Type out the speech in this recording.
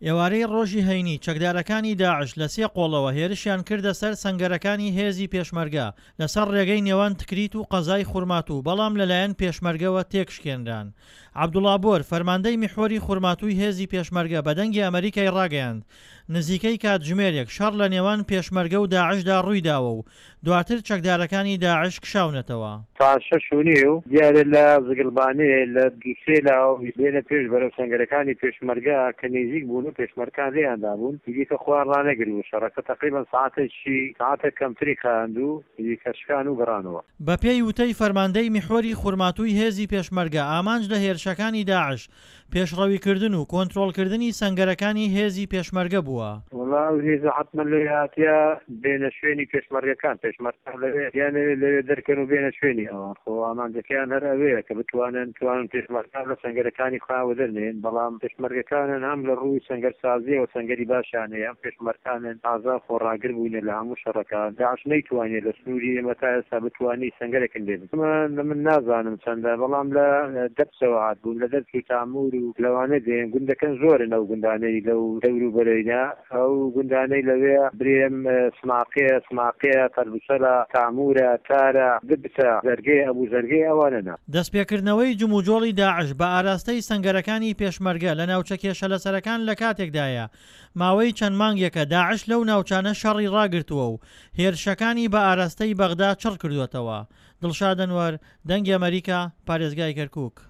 ئێوارەی ڕۆژی هەینی چەکدارەکانی داعش لە سێ قۆڵەوە هێرشیان کردە سەر سەنگەرەکانی هێزی پێشمەرگە لەسەر ڕێگەی نێوان تکریت و قەزای خورماتوو بەڵام لەلایەن پێشمەرگەوە تێکشکێنران. عەبدوڵا بۆر، فەرماندەی میحوەری خورماتووی هێزی پێشمەرگە بە دەنگی ئەمەریکای ڕاگەیاند، نزیکەی کاتژمێرێک شەڕ لە نێوان پێشمەرگە و داعشدا ڕوویداوە و دواتر چەکدارەکانی داعش کشاونەتەوە. ساعەت شەش و نیو دیارە لە زگڵبانێ لە دوو سێ لاوە بێنە پێش بەرەو سەنگەرەکانی پێشمەرگە کە نیزیک بوون و پێشمەرکان لێیان دابوون ئیدی کە خۆیان ڕانەگرت بوو شەڕەکە تەقریبەن ساعەتێکی ساعەتێک کەمتری خایاند و ئیدی کە شکان و گەڕانەوە. بە پێی وتەی فەرماندەی میحوەری خورماتووی هێزی پێشمەرگە ئامانج لە هێرشەکانی داعش پێشڕەویکردن و کۆنترۆڵکردنی سەنگەرەکانی هێزی پێشمەرگە بووە. وەڵا ئەو هێزە حەتمەن لەوێ هاتیە بێنە شوێنی پێشمەرگەکان، پێشمەرگەکان لەوێ بیانەوێ لەوێ دەرکەن و بێنە شوێنی ئەوان، خۆ ئامانجەکەیان هەر ئەوەیە کە بتوانن توانن پێشمەرگان لە سەنگەرەکانی خۆیان وەدەرنێن، بەڵام پێشمەرگەکانن هەم لە ڕووی سەنگەرسازیەوە سەنگەری باشیان هەیە، هەم پێشمەرکانن ئازا و خۆڕاگر بووینە لە هەموو شەڕەکان، داعش نەیتوانیە لە سنووری ئێمە تا ئێستا بتوانی سەنگەرێکن لێ من من نازانم چەندە بەڵام لە دەرچەوە هاتبوون لە دەرچ و تامور و لەوانە دێن گوندەکەن زۆرن ئەو گوندانەی لەو دەور و بەرەینە ئەو گوندانەی لەوێ برێم سماقێ سماقێ تەربسەلە تامورە تارە دبسە زەرگەی ئەبوو زەرگەی ئەوانەنە. دەستپێکردنەوەی جموجۆڵی داعش بە ئاراستەی سەنگەرەکانی پێشمەرگە لە ناوچە کێشەلەسەرەکان لەکاتێکدایە ماوەی چەند مانگێکە داعش لەو ناوچانە شەڕی ڕاگرتووە و هێرشەکانی بە ئاراستەی بەغدا چڕ کردووەتەوە. دڵشاد ئەنوەر، دەنگی ئەمەریکا، پارێزگای کەرکوک.